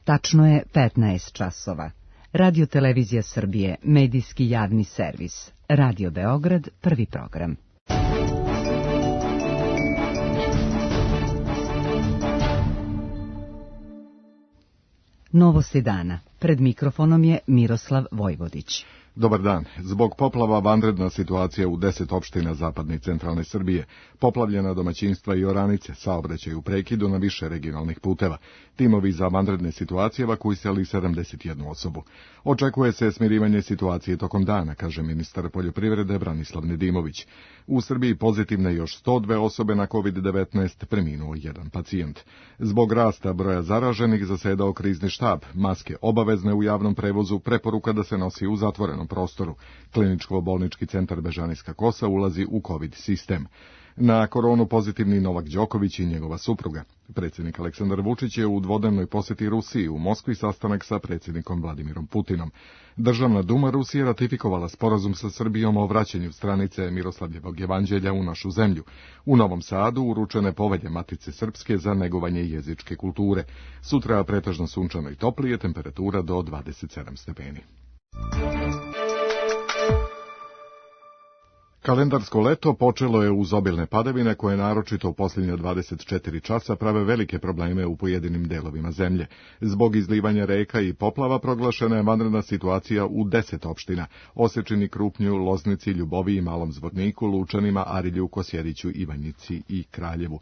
Tačno je 15 časova. Radio Televizija Srbije, medijski javni servis. Radio Beograd, prvi program. Novosti dana. Pred mikrofonom je Miroslav Vojvodić. Dobar dan. Zbog poplava vanredna situacija u 10 opština zapadne i centralne Srbije. Poplavljena domaćinstva i oranice, saobraćaj u prekidu na više regionalnih puteva. Timovi za vanredne situacije evakuisali 71 osobu. Očekuje se smirivanje situacije tokom dana, kaže ministar poljoprivrede Branislav Nedimović. U Srbiji pozitivne još 102 osobe na COVID-19, preminuo jedan pacijent. Zbog rasta broja zaraženih zasedao krizni štab, maske obavezne u javnom prevozu, preporuka da se nosi u zatvorenom prostoru. Kliničko-bolnički centar Bežanijska Kosa ulazi u COVID sistem. Na koronu pozitivni Novak Đoković i njegova supruga. Predsjednik Aleksandar Vučić je u dvodnevnoj posjeti Rusiji u Moskvi sastanak sa predsjednikom Vladimirom Putinom. Državna duma Rusije ratifikovala sporazum sa Srbijom o vraćanju stranice Miroslavljevog evanđelja u našu zemlju. U Novom Sadu uručene povelje Matice Srpske za negovanje jezičke kulture. Sutra pretežno sunčano i toplije, temperatura do 27 stepeni. Kalendarsko leto počelo je uz obilne padavine koje naročito u posljednje 24 časa prave velike probleme u pojedinim delovima zemlje. Zbog izlivanja reka i poplava proglašena je vanredna situacija u 10 opština: Osečini, Krupnju, Loznici, Ljuboviji, Malom Zvorniku, Lučanima, Arilju, Kosjeriću, Ivanjici i Kraljevu.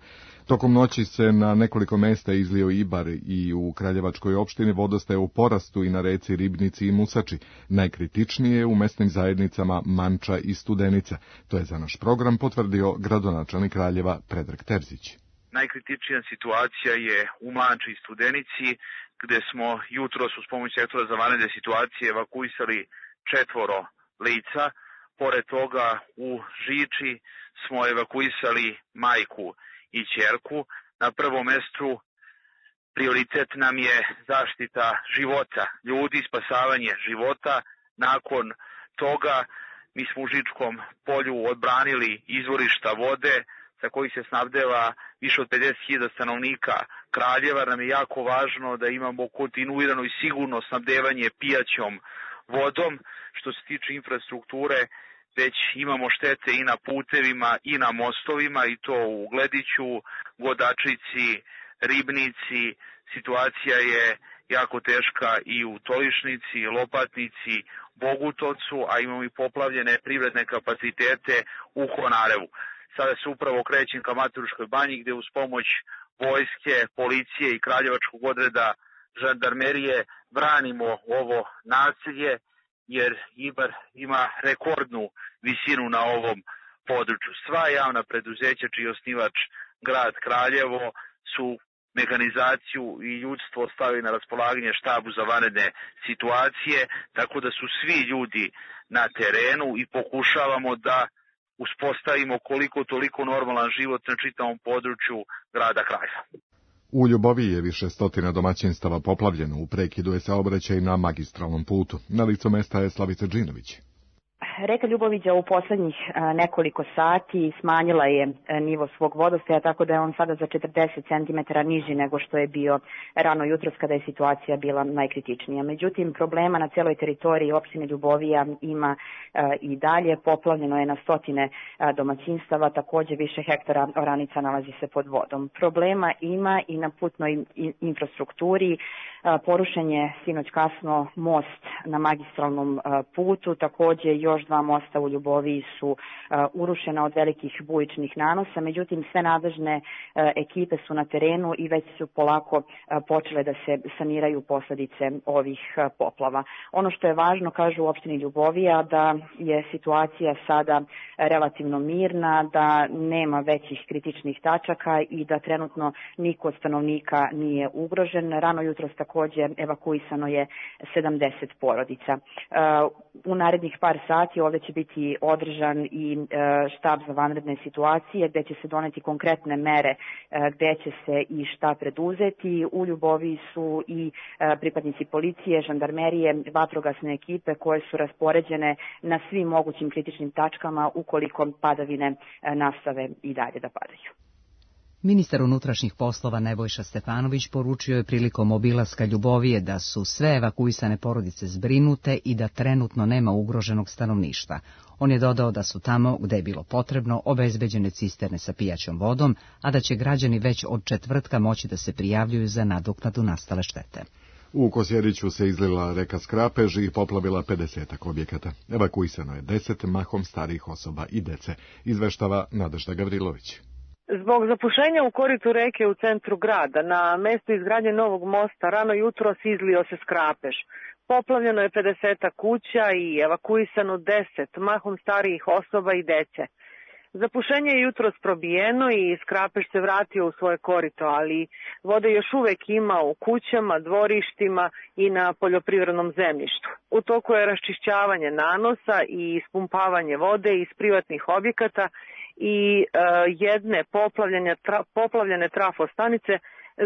Tokom noći se na nekoliko mesta izlio Ibar i u Kraljevačkoj opštini vodostaje u porastu i na reci Ribnici i Musači. Najkritičnije je u mesnim zajednicama Manča i Studenica. To je za naš program potvrdio gradonačelnik Kraljeva Predrag Terzić. Najkritičnija situacija je u Manči i Studenici, gde smo jutros uz pomoć sektora za vanredne situacije evakuisali 4 lica. Pored toga u Žiči smo evakuisali majku i ćerku. Na prvom mestu prioritet nam je zaštita života ljudi, spasavanje života. Nakon toga mi smo u Žičkom polju odbranili izvorišta vode sa kojih se snabdeva više od 50.000 stanovnika Kraljeva. Nam je jako važno da imamo kontinuirano i sigurno snabdevanje pijaćom vodom. Što se tiče infrastrukture, već imamo štete i na putevima i na mostovima, i to u Glediću, Godačici, Ribnici. Situacija je jako teška i u Tolišnici, Lopatnici, Bogutovcu, a imamo i poplavljene privredne kapacitete u Honarevu. Sada se upravo krećem ka Maturuškoj banji, gde uz pomoć vojske, policije i Kraljevačkog odreda žandarmerije branimo ovo naselje, jer Ibar ima rekordnu visinu na ovom području. Sva javna preduzeća čiji je osnivač grad Kraljevo su mehanizaciju i ljudstvo stavili na raspolaganje štabu za vanredne situacije, tako da su svi ljudi na terenu i pokušavamo da uspostavimo koliko toliko normalan život na čitavom području grada Kraljeva. U Ljuboviji je više stotina domaćinstava poplavljeno, u prekidu je saobraćaj na magistralnom putu. Na licu mesta je Slavica Džinović. Reka Ljuboviđa u poslednjih nekoliko sati smanjila je nivo svog vodostaja, tako da je on sada za 40 cm niži nego što je bio rano jutros kada je situacija bila najkritičnija. Međutim, problema na celoj teritoriji opštine Ljubovija ima i dalje. Poplavljeno je na stotine domaćinstava, takođe više hektara oranica nalazi se pod vodom. Problema ima i na putnoj infrastrukturi. Porušen je sinoć kasno most na magistralnom putu, takođe još 2 mosta u Ljuboviji su urušena od velikih bujičnih nanosa, međutim sve nadležne ekipe su na terenu i već su polako počele da se saniraju posledice ovih poplava. Ono što je važno, kažu u opštini Ljubovija, da je situacija sada relativno mirna, da nema većih kritičnih tačaka i da trenutno niko od stanovnika nije ugrožen. Rano jutros takođe evakuisano je 70 porodica. U narednih par sati ovde će biti održan i štab za vanredne situacije, gde će se doneti konkretne mere gde će se i šta preduzeti. U Ljuboviji su i pripadnici policije, žandarmerije, vatrogasne ekipe koje su raspoređene na svim mogućim kritičnim tačkama ukoliko padavine nastave i dalje da padaju. Ministar unutrašnjih poslova Nebojša Stefanović poručio je prilikom obilaska Ljubovije da su sve evakuisane porodice zbrinute i da trenutno nema ugroženog stanovništva. On je dodao da su tamo, gde je bilo potrebno, obezbeđene cisterne sa pijaćom vodom, a da će građani već od četvrtka moći da se prijavljuju za nadoknadu nastale štete. U Kosjeriću se izlila reka Skrapež i poplavila 50 objekata. Evakuisano je 10 mahom starijih osoba i dece, izveštava Nadežda Gavrilović. Zbog zapušenja u koritu reke u centru grada, na mestu izgradnje novog mosta, rano jutros izlio se Skrapež. Poplavljeno je 50 kuća i evakuisano 10, mahom starijih osoba i dece. Zapušenje je jutros probijeno i Skrapež se vratio u svoje korito, ali vode još uvek ima u kućama, dvorištima i na poljoprivrednom zemljištu. U toku je raščišćavanje nanosa i ispumpavanje vode iz privatnih objekata i jedne poplavljene trafostanice,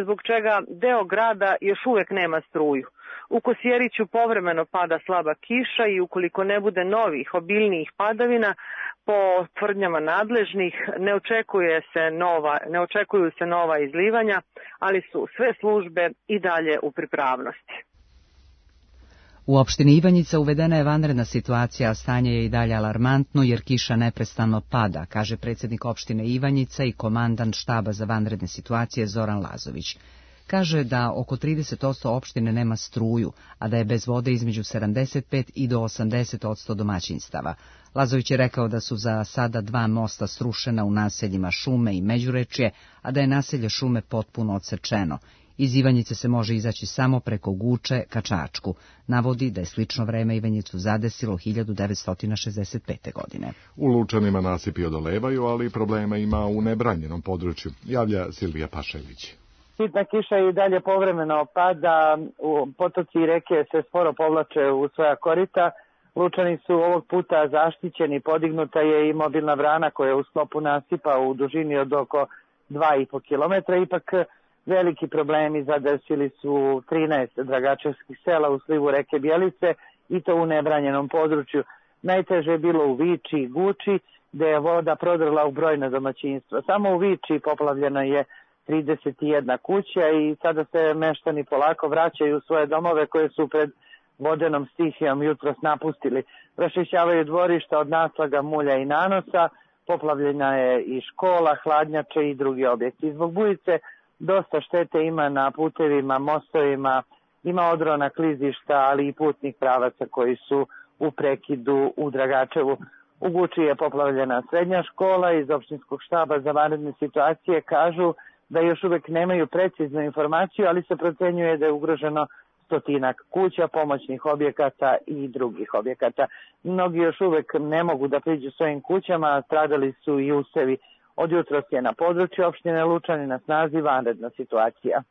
zbog čega deo grada još uvek nema struju. U Kosjeriću povremeno pada slaba kiša i ukoliko ne bude novih obiljnijih padavina, po tvrdnjama nadležnih ne očekuju se nova izlivanja, ali su sve službe i dalje u pripravnosti. U opštini Ivanjica uvedena je vanredna situacija, a stanje je i dalje alarmantno jer kiša neprestano pada, kaže predsjednik opštine Ivanjica i komandant štaba za vanredne situacije Zoran Lazović. Kaže da oko 30% opštine nema struju, a da je bez vode između 75 i do 80% domaćinstava. Lazović je rekao da su za sada 2 mosta srušena u naseljima Šume i Međurečje, a da je naselje Šume potpuno odsečeno. Iz Ivanjice se može izaći samo preko Guče ka Čačku. Navodi da je slično vreme Ivanjicu zadesilo 1965. godine. U Lučanima nasipi odolevaju, ali problema ima u nebranjenom području, javlja Silvija Pašević. Sitna kiša i dalje povremeno pada, potoci i reke se sporo povlače u svoja korita. Lučani su ovog puta zaštićeni, podignuta je i mobilna brana koja je u sklopu nasipa u dužini od oko 2,5 km. Ipak veliki problemi zadesili su 13 dragačevskih sela u slivu reke Bjelice i to u nebranjenom području. Najteže je bilo u Viči i Guči, gde je voda prodrla u brojna domaćinstva. Samo u Viči poplavljena je 31 kuća i sada se meštani polako vraćaju u svoje domove koje su pred vodenom stihijom jutros napustili. Raščišćavaju dvorišta od naslaga, mulja i nanosa, poplavljena je i škola, hladnjače i drugi objekti. Zbog bujice dosta štete ima na putevima, mostovima, ima odrona klizišta, ali i putnih pravaca koji su u prekidu u Dragačevu. U Guči je poplavljena srednja škola. Iz opštinskog štaba za vanredne situacije kažu da još uvek nemaju preciznu informaciju, ali se procenjuje da je ugroženo 100 kuća, pomoćnih objekata i drugih objekata. Mnogi još uvek ne mogu da priđu svojim kućama, stradali su i usevi. Od jutros je na području opštine Lučani na snazi vanredna situacija.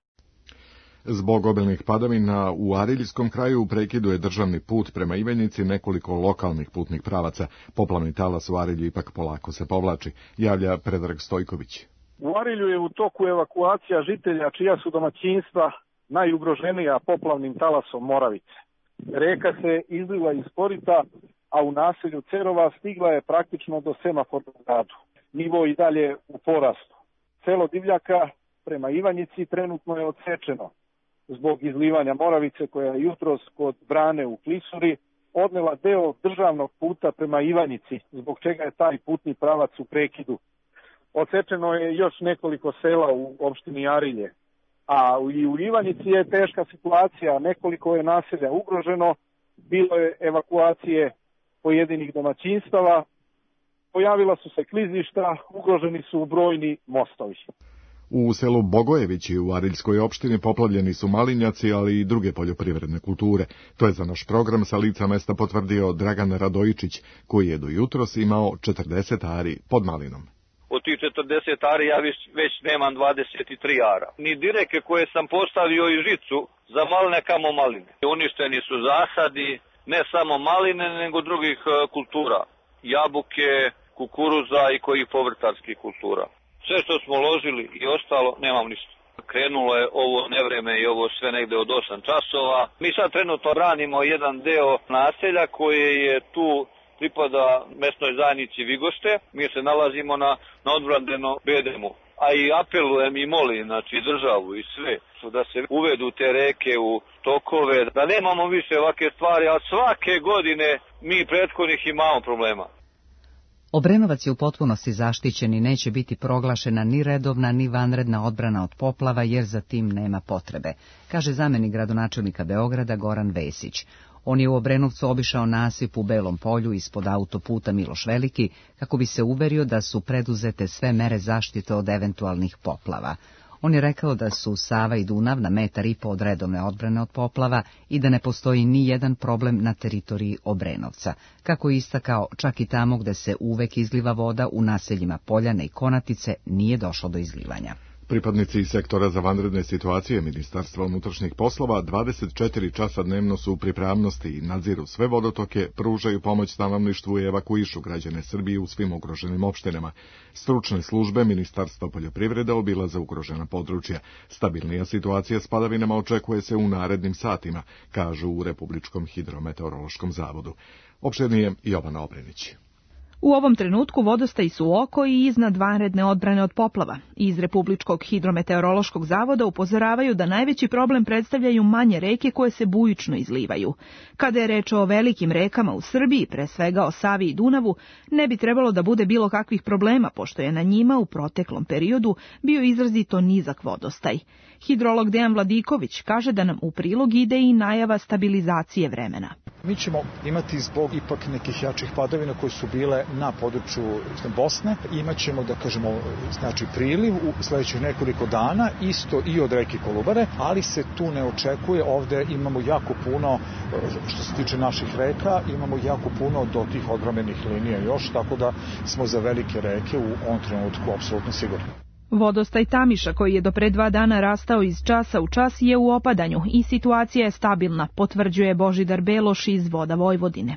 Zbog obilnih padavina u Ariljskom kraju u prekidu je državni put prema Ivanjici, nekoliko lokalnih putnih pravaca. Poplavni talas u Arilju ipak polako se povlači, javlja Predrag Stojković. U Arilju je u toku evakuacija žitelja čija su domaćinstva najugroženija poplavnim talasom Moravice. Reka se izliva iz korita, a u naselju Cerova stigla je praktično do semafornog gradu. Nivo i dalje u porastu. Selo Divljaka prema Ivanjici trenutno je odsečeno zbog izlivanja Moravice koja je jutros kod brane u Klisuri odnela deo državnog puta prema Ivanjici, zbog čega je taj putni pravac u prekidu. Odsečeno je još nekoliko sela u opštini Arilje, a i u Ivanjici je teška situacija, nekoliko je naselja ugroženo, bilo je evakuacije pojedinih domaćinstava, pojavila su se klizišta, ugroženi su brojni mostovi. U selu Bogojevići u Ariljskoj opštini poplavljeni su malinjaci, ali i druge poljoprivredne kulture. To je za naš program sa lica mesta potvrdio Dragan Radojičić, koji je do jutros imao 40 ari pod malinom. Od tih 40 ari ja već nemam 23 ara. Ni direke koje sam postavio i žicu za maline kamo maline. Uništeni su zasadi, ne samo maline, nego drugih kultura. Jabuke, kukuruza i kojih povrtarskih kultura. Sve što smo ložili i ostalo, nemam ništa. Krenulo je ovo nevreme i ovo sve negde od 8 časova. Mi sad trenutno branimo jedan deo naselja koje je tu pripada mesnoj zajednici Vigošte. Mi se nalazimo na odbrandenom bedemu. a i apelujem i molim, znači državu i sve, da se uvedu te reke u tokove, da nemamo više ovakve stvari, a svake godine mi prethodnih imamo problema. Obrenovac je u potpunosti zaštićen i neće biti proglašena ni redovna ni vanredna odbrana od poplava jer za tim nema potrebe, kaže zamenik gradonačelnika Beograda Goran Vesić. On je u Obrenovcu obišao nasip u Belom polju ispod autoputa Miloš Veliki kako bi se uverio da su preduzete sve mere zaštite od eventualnih poplava. On je rekao da su Sava i Dunav na 1,5 metra od redovne odbrane od poplava i da ne postoji ni jedan problem na teritoriji Obrenovca. Kako je istakao, čak i tamo gde se uvek izliva voda u naseljima Poljane i Konatice nije došlo do izlivanja. Pripadnici sektora za vanredne situacije Ministarstva unutrašnjih poslova 24 časa dnevno su u pripravnosti i nadziru sve vodotoke, pružaju pomoć stanovništvu i evakuišu građane Srbije u svim ugroženim opštinama. Stručne službe Ministarstva poljoprivrede obilaze ugrožena područja. Stabilnija situacija s padavinama očekuje se u narednim satima, kažu u Republičkom hidrometeorološkom zavodu. Opširnije Jovana Obrenić. U ovom trenutku vodostaji su oko i iznad vanredne odbrane od poplava. Iz Republičkog hidrometeorološkog zavoda upozoravaju da najveći problem predstavljaju manje reke koje se bujično izlivaju. Kada je reč o velikim rekama u Srbiji, pre svega o Savi i Dunavu, ne bi trebalo da bude bilo kakvih problema, pošto je na njima u proteklom periodu bio izrazito nizak vodostaj. Hidrolog Dejan Vladiković kaže da nam u prilog ide i najava stabilizacije vremena. Mi ćemo imati zbog ipak nekih jačih padavina koje su bile na području Bosne, imat ćemo, da kažemo, znači priliv u sledećih nekoliko dana, isto i od reke Kolubare, ali se tu ne očekuje, ovde imamo jako puno, što se tiče naših reka, imamo jako puno do tih odbrambenih linija još, tako da smo za velike reke u ovom trenutku apsolutno sigurni. Vodostaj Tamiša, koji je do pre 2 dana rastao iz časa u čas, je u opadanju i situacija je stabilna, potvrđuje Božidar Beloš iz Voda Vojvodine.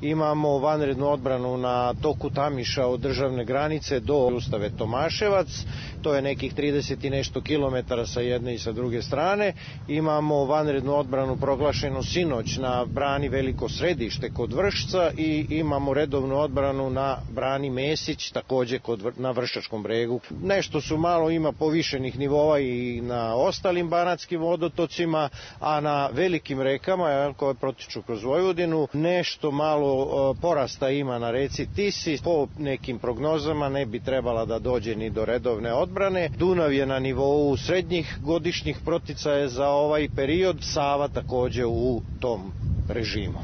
Imamo vanrednu odbranu na toku Tamiša od državne granice do Ustave Tomaševac, to je nekih 30 i nešto kilometara sa jedne i sa druge strane. Imamo vanrednu odbranu proglašenu sinoć na brani Veliko Središte kod Vršca i imamo redovnu odbranu na brani Mesić, takođe na Vršačkom bregu. Nešto su malo ima povišenih nivova i na ostalim banatskim vodotocima, a na velikim rekama koje protiču kroz Vojvodinu nešto malo porasta ima na reci Tisi. Po nekim prognozama ne bi trebala da dođe ni do redovne odbrane. Dunav je na nivou srednjih godišnjih proticaja za ovaj period, Sava takođe u tom režimu.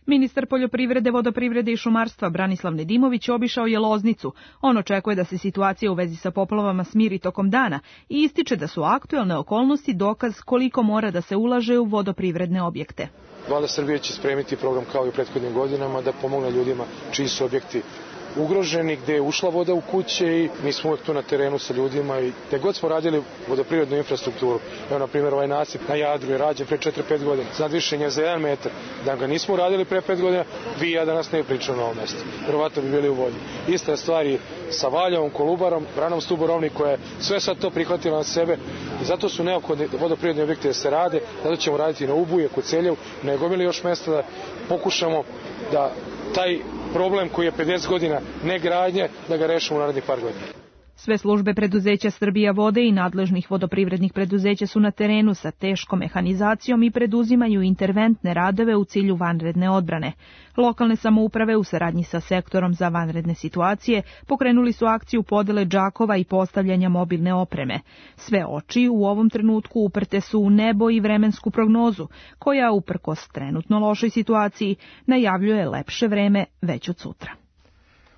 Ministar poljoprivrede, vodoprivrede i šumarstva Branislav Nedimović obišao je Loznicu. On očekuje da se situacija u vezi sa poplavama smiri tokom dana i ističe da su aktuelne okolnosti dokaz koliko mora da se ulaže u vodoprivredne objekte. Vlada Srbije će spremiti program kao i u prethodnim godinama da pomogne ljudima čiji su objekti ugroženi, gde je ušla voda u kuće i mi smo uvek tu na terenu sa ljudima i gde god smo radili vodoprivrednu infrastrukturu. Evo, na primjer, ovaj nasip na Jadru je rađen pre 4-5 godina, nadvišenje za 1 metar. Da ga nismo radili pre 5 godina, vi i ja danas ne bi pričali na ovom mestu. Verovatno bi bili u vodi. Ista stvar je sa Valjavom, Kolubarom, branom Stuborovnik koja je sve sad to prihvatila na sebe i zato su neophodni vodoprivredni objekti da se rade, zato ćemo raditi na Ubuje, kod Celjev, ne gomili još mesta da pokušamo da taj problem koji je 50 godina negradnje, da ga rešimo u narednih par godina. Sve službe preduzeća Srbija vode i nadležnih vodoprivrednih preduzeća su na terenu sa teškom mehanizacijom i preduzimaju interventne radove u cilju vanredne odbrane. Lokalne samouprave u saradnji sa sektorom za vanredne situacije pokrenuli su akciju podele džakova i postavljanja mobilne opreme. Sve oči u ovom trenutku uprte su u nebo i vremensku prognozu, koja uprkos trenutno lošoj situaciji najavljuje lepše vreme već od sutra.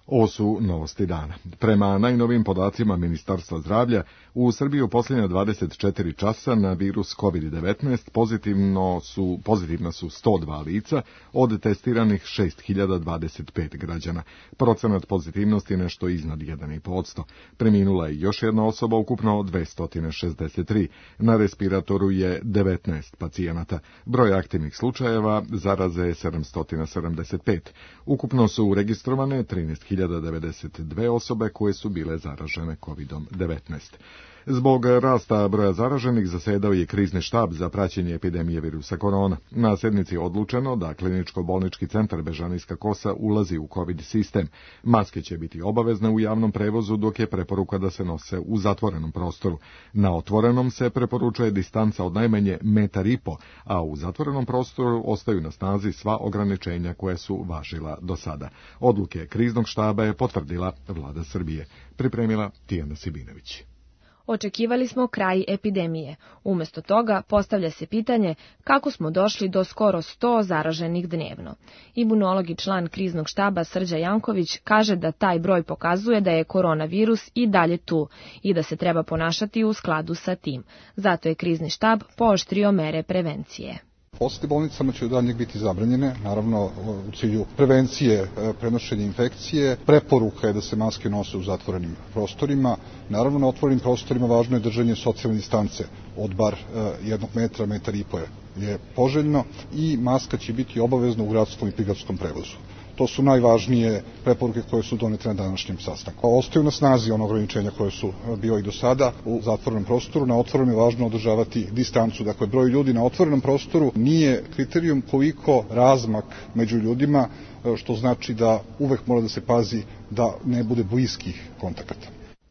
Ovo su novosti dana. Prema najnovim podacima Ministarstva zdravlja, u Srbiji u posljednja 24 časa na virus COVID-19 pozitivna su 102 lica od testiranih 6025 građana. Procenat pozitivnosti nešto iznad 1,5%. Preminula je još jedna osoba, ukupno 263. Na respiratoru je 19 pacijenata. Broj aktivnih slučajeva zaraze je 775. Ukupno su registrovane 13.092 osobe koje su bile zaražene COVID-19. Zbog rasta broja zaraženih zasedao je krizni štab za praćenje epidemije virusa korona. Na sednici je odlučeno da kliničko-bolnički centar Bežanijska Kosa ulazi u COVID sistem. Maske će biti obavezne u javnom prevozu, dok je preporuka da se nose u zatvorenom prostoru. Na otvorenom se preporučuje distanca od najmanje 1,5 m, a u zatvorenom prostoru ostaju na snazi sva ograničenja koje su važila do sada. Odluke kriznog štaba je potvrdila Vlada Srbije. Pripremila Tijana Sibinović. Očekivali smo kraj epidemije. Umesto toga postavlja se pitanje kako smo došli do skoro 100 zaraženih dnevno. Imunolog i član kriznog štaba Srđa Janković kaže da taj broj pokazuje da je koronavirus i dalje tu i da se treba ponašati u skladu sa tim. Zato je krizni štab pooštrio mere prevencije. Posete bolnicama će u daljnjeg biti zabranjene, naravno u cilju prevencije prenošenja infekcije. Preporuka je da se maske nose u zatvorenim prostorima. Naravno, na otvorenim prostorima važno je držanje socijalne distance od bar 1 metra, 1,5 m je poželjno i maska će biti obavezna u gradskom i prigradskom prevozu. To su najvažnije preporuke koje su donete na današnjem sastanku. Ostaju na snazi ono ograničenja koje su bio i do sada u zatvorenom prostoru. Na otvorenom je važno održavati distancu. Dakle, broj ljudi na otvorenom prostoru nije kriterijum koliko razmak među ljudima, što znači da uvek mora da se pazi da ne bude bliskih kontakata.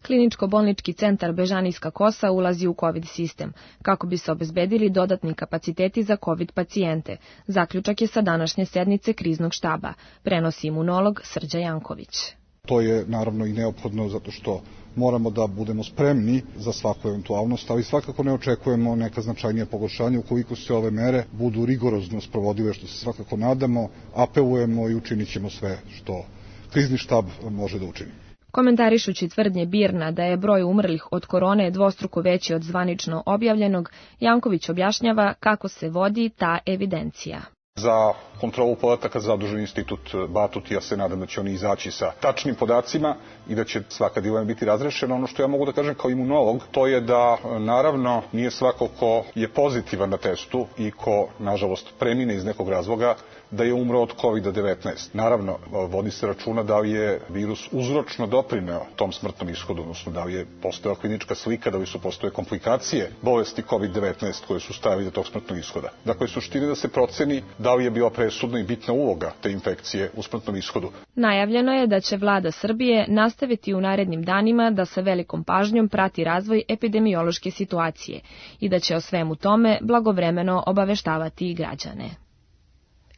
Kliničko-bolnički centar Bežanijska Kosa ulazi u COVID sistem, kako bi se obezbedili dodatni kapaciteti za COVID pacijente. Zaključak je sa današnje sednice kriznog štaba, prenosi imunolog Srđa Janković. To je naravno i neophodno zato što moramo da budemo spremni za svaku eventualnost, ali svakako ne očekujemo neka značajnija pogoršanja ukoliko se ove mere budu rigorozno sprovodile, što se svakako nadamo, apelujemo i učinit ćemo sve što krizni štab može da učini. Komentarišući tvrdnje BIRN-a da je broj umrlih od korone dvostruko veći od zvanično objavljenog, Janković objašnjava kako se vodi ta evidencija. Za kontrolu podataka zadužen institut Batut, ja se nadam da će oni izaći sa tačnim podacima i da će svaka dilema biti razrešena. Ono što ja mogu da kažem kao imunolog, to je da naravno nije svako ko je pozitivan na testu i ko nažalost premine iz nekog razloga da je umro od COVID-19. Naravno, vodi se računa da li je virus uzročno doprineo tom smrtnom ishodu, odnosno da li je postojala klinička slika, da li su postoje komplikacije bolesti COVID-19 koje su stavili do tog smrtnog ishoda. Dakle, suština da se proceni da li je bila presudna i bitna uloga te infekcije u smrtnom ishodu. Najavljeno je da će Vlada Srbije nastaviti u narednim danima da sa velikom pažnjom prati razvoj epidemiološke situacije i da će o svemu tome blagovremeno obaveštavati i građane.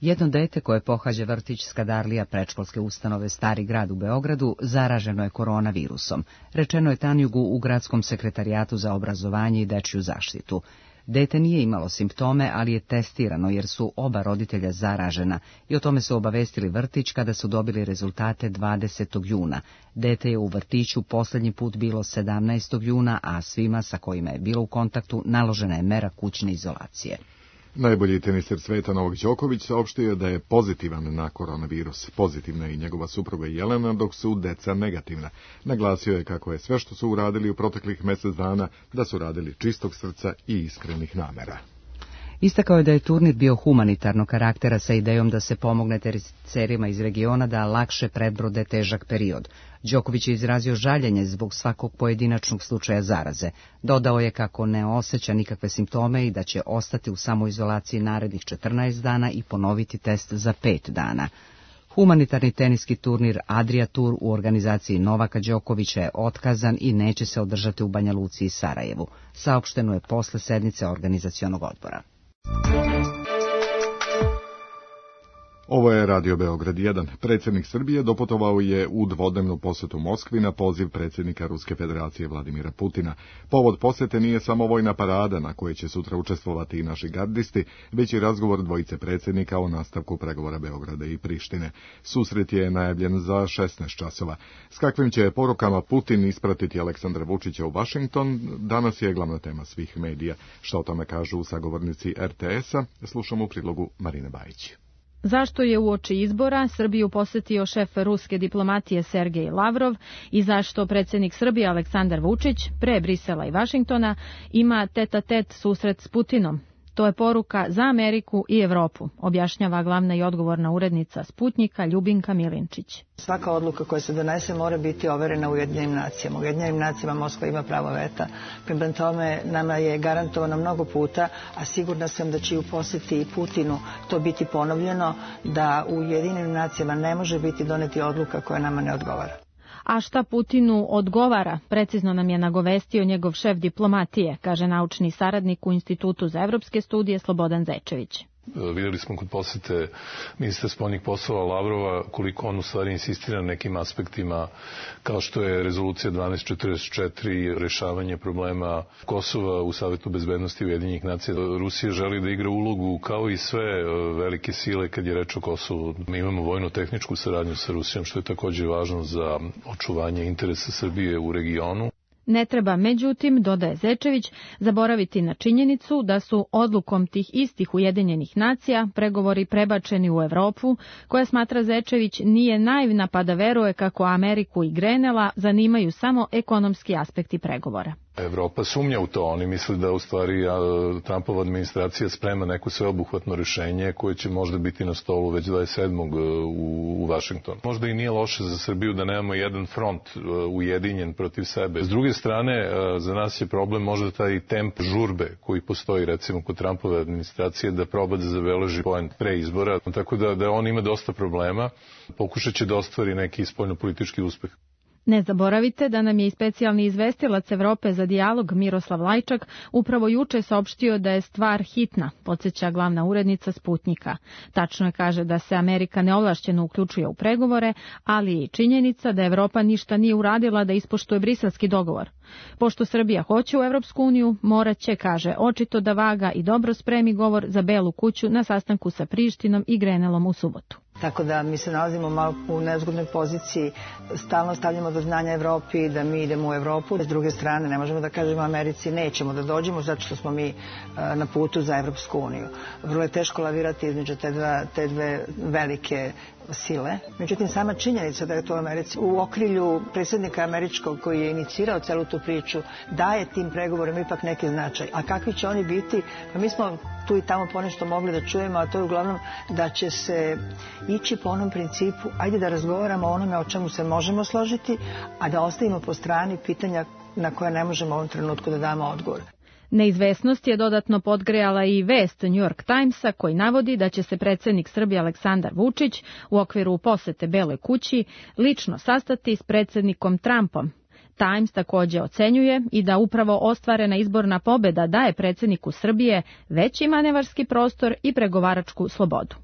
Jedno dete koje pohađa vrtić Skadarlija predškolske ustanove Stari grad u Beogradu zaraženo je koronavirusom, rečeno je Tanjugu u Gradskom sekretarijatu za obrazovanje i dečju zaštitu. Dete nije imalo simptome, ali je testirano jer su oba roditelja zaražena i o tome su obavestili vrtić kada su dobili rezultate 20. juna. Dete je u vrtiću posljednji put bilo 17. juna, a svima sa kojima je bilo u kontaktu naložena je mera kućne izolacije. Najbolji teniser sveta Novak Đoković saopštio je da je pozitivan na koronavirus. Pozitivna je i njegova supruga Jelena, dok su deca negativna. Naglasio je kako je sve što su uradili u proteklih mjesec dana da su radili čistog srca i iskrenih namera. Istakao je da je turnir bio humanitarnog karaktera sa idejom da se pomogne teniserima iz regiona da lakše prebrode težak period. Đoković je izrazio žaljenje zbog svakog pojedinačnog slučaja zaraze. Dodao je kako ne osjeća nikakve simptome i da će ostati u samoizolaciji narednih 14 dana i ponoviti test za 5 dana. Humanitarni teniski turnir Adria Tour u organizaciji Novaka Đokovića je otkazan i neće se održati u Banja Luci i Sarajevu. Saopšteno je posle sednice organizacionog odbora. Ovo je Radio Beograd 1. Predsjednik Srbije doputovao je u dvodnevnu posjetu Moskvi na poziv predsjednika Ruske federacije Vladimira Putina. Povod posjete nije samo vojna parada na kojoj će sutra učestvovati i naši gardisti, već i razgovor dvojice predsjednika o nastavku pregovora Beograda i Prištine. Susret je najavljen za 16 časova. S kakvim će porukama Putin ispratiti Aleksandra Vučića u Washington, danas je glavna tema svih medija. Što o tome kažu sagovornici RTS-a, slušamo u prilogu Marine Bajić. Zašto je uoči izbora Srbiju posjetio šef ruske diplomatije Sergej Lavrov i zašto predsjednik Srbije Aleksandar Vučić pre Brisela i Vašingtona ima tet-a-tet susret s Putinom? To je poruka za Ameriku i Evropu, objašnjava glavna i odgovorna urednica Sputnjika Ljubinka Milinčić. Svaka odluka koja se donese mora biti overena u Ujedinjenim nacijama. U Ujedinjenim nacijama Moskva ima pravo veta. Prema tome nama je garantovano mnogo puta, a sigurna sam da će u posjeti i Putinu to biti ponovljeno, da u Ujedinjenim nacijama ne može biti doneti odluka koja nama ne odgovara. A šta Putinu odgovara, precizno nam je nagovestio njegov šef diplomatije, kaže naučni saradnik u Institutu za evropske studije Slobodan Zečević. Vidjeli smo kod posete ministra spoljnih poslova Lavrova koliko on u stvari insistira na nekim aspektima kao što je rezolucija 1244, rešavanje problema Kosova u Savetu bezbednosti Ujedinjenih nacija. Rusija želi da igra ulogu kao i sve velike sile kad je reč o Kosovu. Mi imamo vojno-tehničku saradnju sa Rusijom što je također važno za očuvanje interesa Srbije u regionu. Ne treba, međutim, dodaje Zečević, zaboraviti na činjenicu da su odlukom tih istih Ujedinjenih nacija pregovori prebačeni u Evropu, koja, smatra Zečević, nije naivna pa da veruje kako Ameriku i Grenela zanimaju samo ekonomski aspekti pregovora. Evropa sumnja u to, oni misle da u stvari Trumpova administracija sprema neko sveobuhvatno rješenje koje će možda biti na stolu već 27. u Vašingtonu. Možda i nije loše za Srbiju da nemamo jedan front ujedinjen protiv sebe. S druge strane, za nas je problem možda taj temp žurbe koji postoji recimo kod Trumpove administracije da proba da zabeleži poen pre izbora, tako da on ima dosta problema, pokušat će da ostvari neki spoljnopolitički uspeh. Ne zaboravite da nam je i specijalni izvestilac Evrope za dijalog Miroslav Lajčak upravo juče saopštio da je stvar hitna, podsjeća glavna urednica Sputnjika. Tačno je, kaže, da se Amerika neovlašćeno uključuje u pregovore, ali i činjenica da Evropa ništa nije uradila da ispoštuje briselski dogovor. Pošto Srbija hoće u Evropsku uniju, morat će, kaže, očito da vaga i dobro spremi govor za Belu kuću na sastanku sa Prištinom i Grenelom u subotu. Tako da mi se nalazimo malo u nezgodnoj poziciji, stalno stavljamo do znanja Evropi da mi idemo u Evropu. S druge strane, ne možemo da kažemo Americi nećemo da dođemo zato što smo mi na putu za Evropsku uniju. Vrlo je teško lavirati između te dve velike sile. Međutim, sama činjenica da je to u Americi u okrilju predsjednika američkog koji je inicirao celu tu priču daje tim pregovorima ipak neki značaj. A kakvi će oni biti? Pa mi smo tu i tamo ponešto mogli da čujemo, a to je uglavnom da će se ići po onom principu, ajde da razgovaramo o onome o čemu se možemo složiti, a da ostavimo po strani pitanja na koja ne možemo u ovom trenutku da damo odgovor. Neizvesnost je dodatno podgrejala i vest New York Timesa koji navodi da će se predsjednik Srbije Aleksandar Vučić u okviru posete Beloj kući lično sastati s predsjednikom Trumpom. Times također ocenjuje i da upravo ostvarena izborna pobjeda daje predsjedniku Srbije veći manevarski prostor i pregovaračku slobodu.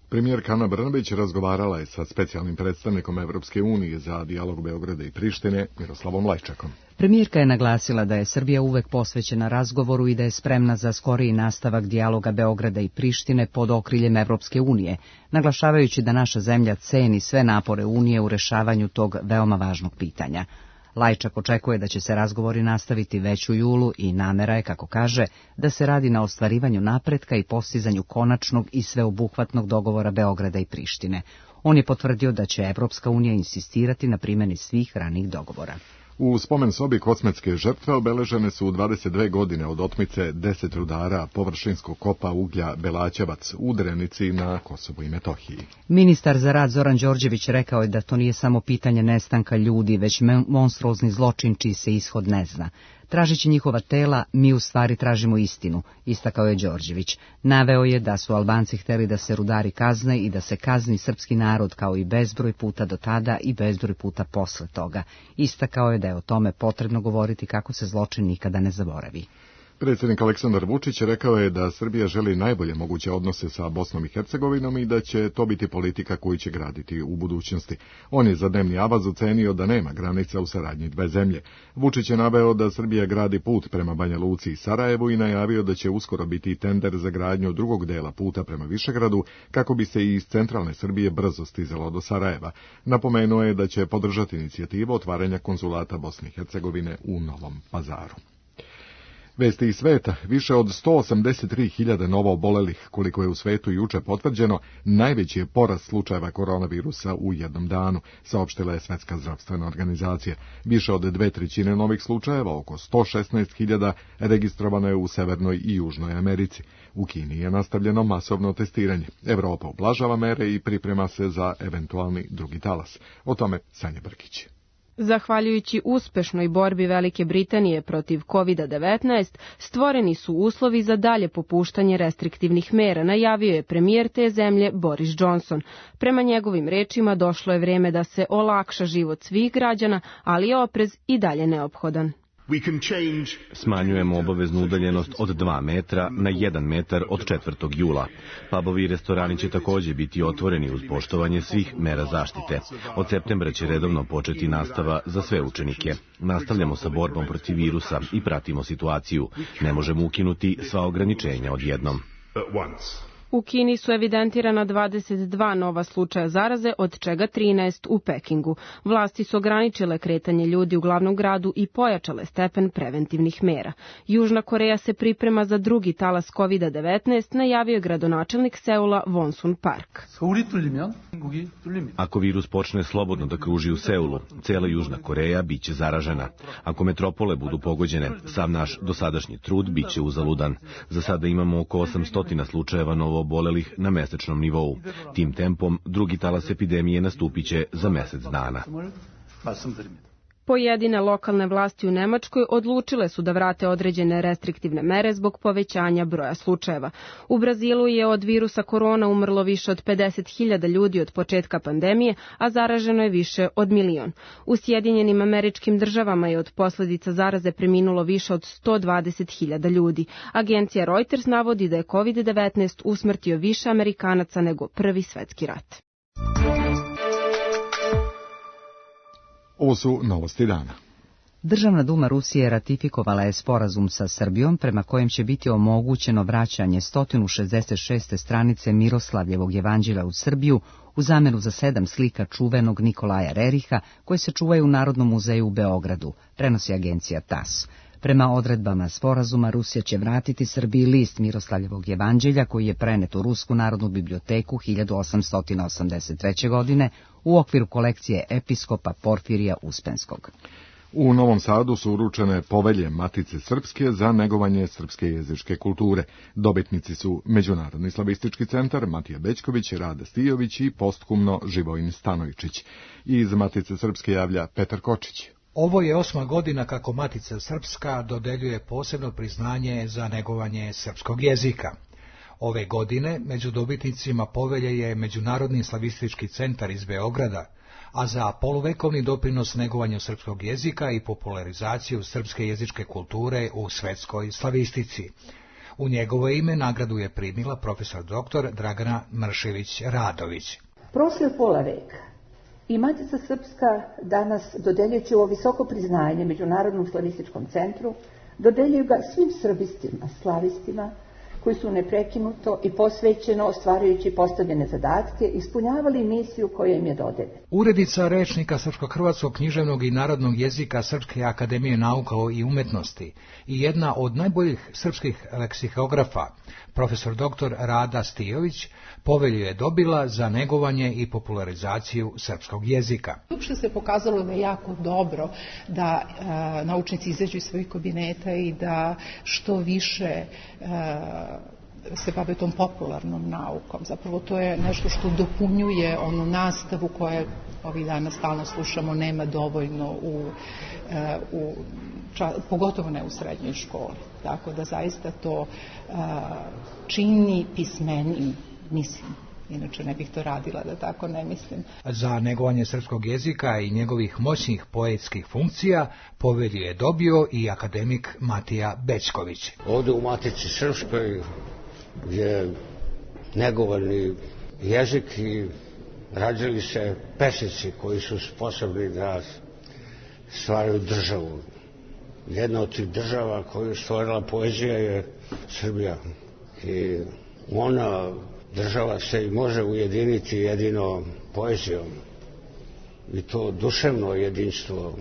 Premijerka Ana Brnabić razgovarala je sa specijalnim predstavnikom Evropske unije za dijalog Beograda i Prištine, Miroslavom Lajčakom. Premijerka je naglasila da je Srbija uvek posvećena razgovoru i da je spremna za skoriji nastavak dijaloga Beograda i Prištine pod okriljem Evropske unije, naglašavajući da naša zemlja ceni sve napore Unije u rešavanju tog veoma važnog pitanja. Lajčak očekuje da će se razgovori nastaviti već u julu i namera je, kako kaže, da se radi na ostvarivanju napretka i postizanju konačnog i sveobuhvatnog dogovora Beograda i Prištine. On je potvrdio da će Evropska unija insistirati na primjeni svih ranijih dogovora. U spomen sobi kosmetske žrtve obeležene su 22 godine od otmice 10 rudara površinskog kopa uglja Belaćevac u Drenici na Kosovu i Metohiji. Ministar za rad Zoran Đorđević rekao je da to nije samo pitanje nestanka ljudi, već monstruozni zločin čiji se ishod ne zna. Tražeći njihova tela, mi u stvari tražimo istinu, istakao je Đorđević. Naveo je da su Albanci hteli da se rudari kazne i da se kazni srpski narod kao i bezbroj puta do tada i bezbroj puta posle toga. Istakao je da je o tome potrebno govoriti kako se zločin nikada ne zaboravi. Predsjednik Aleksandar Vučić rekao je da Srbija želi najbolje moguće odnose sa Bosnom i Hercegovinom i da će to biti politika koju će graditi u budućnosti. On je za dnevni avaz ocenio da nema granica u saradnji dve zemlje. Vučić je naveo da Srbija gradi put prema Banja Luci i Sarajevu i najavio da će uskoro biti tender za gradnju drugog dela puta prema Višegradu kako bi se i iz centralne Srbije brzo stizalo do Sarajeva. Napomenuo je da će podržati inicijativu otvaranja konzulata Bosne i Hercegovine u Novom Pazaru. Vesti iz sveta, više od 183.000 novo obolelih, koliko je u svetu juče potvrđeno, najveći je porast slučajeva koronavirusa u jednom danu, saopštila je Svetska zdravstvena organizacija. Više od 2/3 novih slučajeva, oko 116.000, registrovano je u Severnoj i Južnoj Americi. U Kini je nastavljeno masovno testiranje. Evropa ublažava mere i priprema se za eventualni drugi talas. O tome Sanja Brkić. Zahvaljujući uspešnoj borbi Velike Britanije protiv COVID-19, stvoreni su uslovi za dalje popuštanje restriktivnih mera, najavio je premijer te zemlje Boris Johnson. Prema njegovim rečima došlo je vreme da se olakša život svih građana, ali je oprez i dalje neophodan. Smanjujemo obaveznu udaljenost od 2 metra na 1 metar od 4. jula. Pubovi i restorani će također biti otvoreni uz poštovanje svih mera zaštite. Od septembra će redovno početi nastava za sve učenike. Nastavljamo sa borbom protiv virusa i pratimo situaciju. Ne možemo ukinuti sva ograničenja odjednom. U Kini su evidentirana 22 nova slučaja zaraze, od čega 13 u Pekingu. Vlasti su ograničile kretanje ljudi u glavnom gradu i pojačale stepen preventivnih mera. Južna Koreja se priprema za drugi talas COVID-19, najavio je gradonačelnik Seula Wonsun Park. Ako virus počne slobodno da kruži u Seulu, cela Južna Koreja biće zaražena. Ako metropole budu pogođene, sav naš dosadašnji trud biće uzaludan. Za sada imamo oko 800 slučajeva novoobolelih na mesečnom nivou. Tim tempom drugi talas epidemije nastupiće za mesec dana. Pojedine lokalne vlasti u Nemačkoj odlučile su da vrate određene restriktivne mere zbog povećanja broja slučajeva. U Brazilu je od virusa korona umrlo više od 50.000 ljudi od početka pandemije, a zaraženo je više od 1 milion. U Sjedinjenim Američkim Državama je od posljedica zaraze preminulo više od 120.000 ljudi. Agencija Reuters navodi da je COVID-19 usmrtio više Amerikanaca nego Prvi svjetski rat. Ovo su novosti dana. Državna duma Rusije ratifikovala je sporazum sa Srbijom prema kojem će biti omogućeno vraćanje 166. stranice Miroslavljevog evanđelja u Srbiju u zamenu za 7 slika čuvenog Nikolaja Reriha koje se čuvaju u Narodnom muzeju u Beogradu, prenosi agencija TASS. Prema odredbama sporazuma Rusija će vratiti Srbiji list Miroslavljevog evanđelja koji je prenet u Rusku narodnu biblioteku 1883. godine u okviru kolekcije episkopa Porfirija Uspenskog. U Novom Sadu su uručene povelje Matice Srpske za negovanje srpske jezičke kulture. Dobitnici su Međunarodni slavistički centar, Matija Bećković, Rada Stijović i posthumno Živojin Stanojčić. Iz Matice Srpske javlja Petar Kočić. Ovo je 8. godina kako Matica Srpska dodeljuje posebno priznanje za negovanje srpskog jezika. Ove godine među dobitnicima povelje je Međunarodni slavistički centar iz Beograda, a za poluvekovni doprinos negovanju srpskog jezika i popularizaciju srpske jezičke kulture u svetskoj slavistici. U njegovo ime nagradu je primila profesor dr. Dragana Mršević-Radović. Prošlo je pola veka i Matica Srpska danas, dodeljujući ovo visoko priznanje Međunarodnom slavističkom centru, dodeljuju ga svim srbistima, slavistima, koji su neprekinuto i posvećeno, ostvarujući postavljene zadatke, ispunjavali misiju koja im je dodeljena. Urednica rečnika srpsko-hrvatskog književnog i narodnog jezika Srpske akademije nauka i umetnosti i jedna od najboljih srpskih leksikografa, profesor dr. Rada Stijović, povelju je dobila za negovanje i popularizaciju srpskog jezika. Uopšte se pokazalo da je jako dobro da naučnici izađu iz svojih kabineta i da što više se bave tom popularnom naukom. Zapravo to je nešto što dopunjuje onu nastavu koja ovih dana stalno slušamo, nema dovoljno pogotovo ne u srednjoj školi. Tako da zaista to čini pismenim, mislim. Inače ne bih to radila da tako ne mislim. Za negovanje srpskog jezika i njegovih moćnih poetskih funkcija povelju je dobio i akademik Matija Bećković. Ovdje u Matici Srpskoj je negovani jezik i rađali se pesnici koji su sposobni da stvaraju državu. Jedna od tih država koju je stvorila poezija je Srbija. I ona država se i može ujediniti jedino poezijom. I to duševno jedinstvo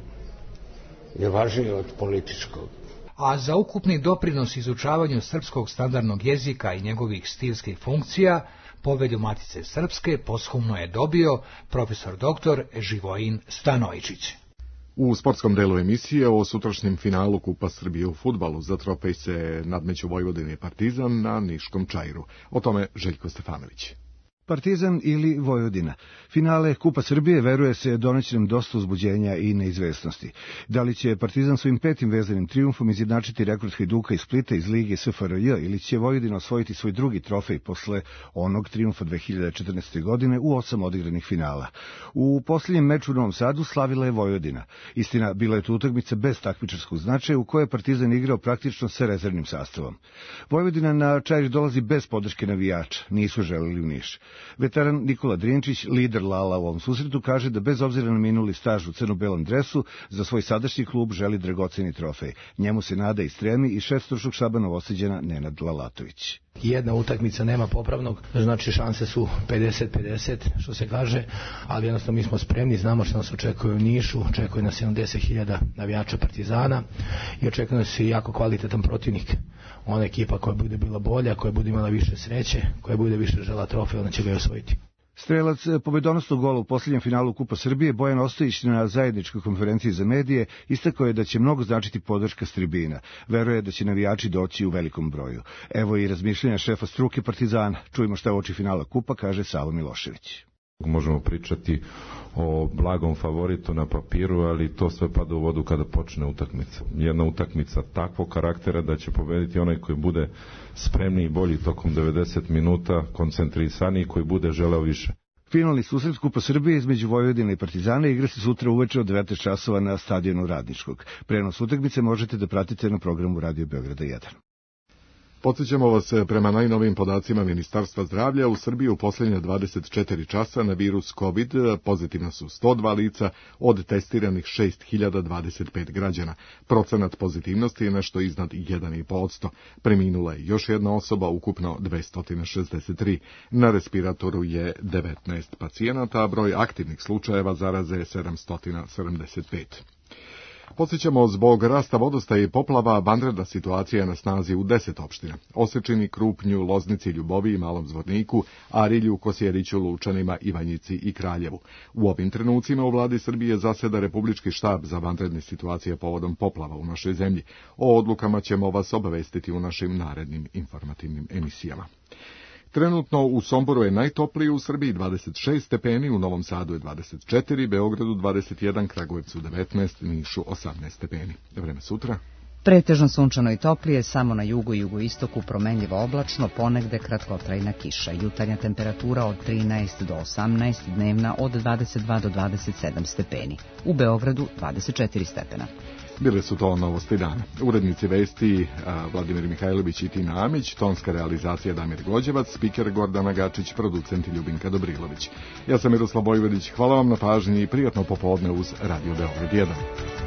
je važnije od političkog. a za ukupni doprinos izučavanju srpskog standardnog jezika i njegovih stilskih funkcija Povelju Matice Srpske posthumno je dobio profesor dr. Živojin Stanojičić. U sportskom delu emisije o sutrašnjem finalu Kupa Srbije u fudbalu za trofej se nadmeću Vojvodina i Partizan na Niškom Čairu. O tome Željko Stefanović. Partizan ili Vojvodina. Finale Kupa Srbije, veruje se, doneće nam dosta uzbuđenja i neizvesnosti. Da li će Partizan svojim 5. vezanim trijumfom izjednačiti rekord Hajduka i Splita iz Lige SFRJ ili će Vojvodina osvojiti svoj drugi trofej posle onog trijumfa 2014. godine u 8 odigranih finala. U posljednjem meču u Novom Sadu slavila je Vojvodina. Istina, bila je to utakmica bez takmičarskog značaja u kojoj je Partizan igrao praktično sa rezervnim sastavom. Vojvodina na Čair dolazi bez podrške navijača, nisu želeli u Niš. Veteran Nikola Drinčić, lider Lala u ovom susretu, kaže da bez obzira na minuli staž u crno-belom dresu, za svoj sadašnji klub želi dragoceni trofej. Njemu se nada i stremi i šef stručnog štaba Novosađana Nenad Lalatović. Jedna utakmica nema popravnog, znači šanse su 50-50, što se kaže, ali jednostavno mi smo spremni, znamo što nas očekuje u Nišu, očekuje nas 70.000 navijača Partizana i očekuje nas i jako kvalitetan protivnik. Ona ekipa koja bude bila bolja, koja bude imala više sreće, koja bude više žela trofej, ona će ga i osvojiti. Strelac pobedonosnog gola u posljednjem finalu Kupa Srbije, Bojan Ostojić, na zajedničkoj konferenciji za medije istakao je da će mnogo značiti podrška s tribina. Veruje da će navijači doći u velikom broju. Evo i razmišljanja šefa struke Partizana. Čujemo šta je uoči finala Kupa, kaže Savo Milošević. Možemo pričati o blagom favoritu na papiru, ali to sve pada u vodu kada počne utakmica. Jedna utakmica takvog karaktera da će pobediti onaj koji bude spremniji i bolji tokom 90 minuta, koncentrisaniji, koji bude želeo više. Finalni susret Kupa Srbije između Vojvodine i Partizana igra se sutra uveče od 19 časova na stadionu Radničkog. Prenos utakmice možete da pratite na programu Radio Beograda 1. Podsjećamo vas, prema najnovijim podacima Ministarstva zdravlja, u Srbiji u posljednje 24 časa na virus COVID pozitivno su 102 lica od testiranih 6025 građana. Procenat pozitivnosti je nešto iznad 1,5%. Preminula je još jedna osoba, ukupno 263. Na respiratoru je 19 pacijenata, a broj aktivnih slučajeva zaraze je 775. Podsjećamo, zbog rasta vodostaja i poplava, vanredna situacija je na snazi u 10 opština. Osečini, Krupnju, Loznici, Ljubovi i Malom Zvorniku, Arilju, Kosjeriću, Lučanima, Ivanjici i Kraljevu. U ovim trenucima u vladi Srbije zaseda Republički štab za vanredne situacije povodom poplava u našoj zemlji. O odlukama ćemo vas obavestiti u našim narednim informativnim emisijama. Trenutno u Somboru je najtoplije u Srbiji 26 stepeni, u Novom Sadu je 24, Beogradu 21, Kragujevcu 19, Nišu 18 stepeni. Vreme sutra. Pretežno sunčano i toplije, samo na jugu i jugoistoku promenljivo oblačno, ponegde kratkotrajna kiša. Jutarnja temperatura od 13 do 18, dnevna od 22 do 27 stepeni. U Beogradu 24 stepena. Bile su to novosti dana. Urednici vesti Vladimir Mihajlović i Tina Amić, tonska realizacija Damir Gođevac, spiker Gordana Gačić, producent Ljubinka Dobrilović. Ja sam Miroslav Vojvodić, hvala vam na pažnji i prijatno popodne uz Radio Beograd 1.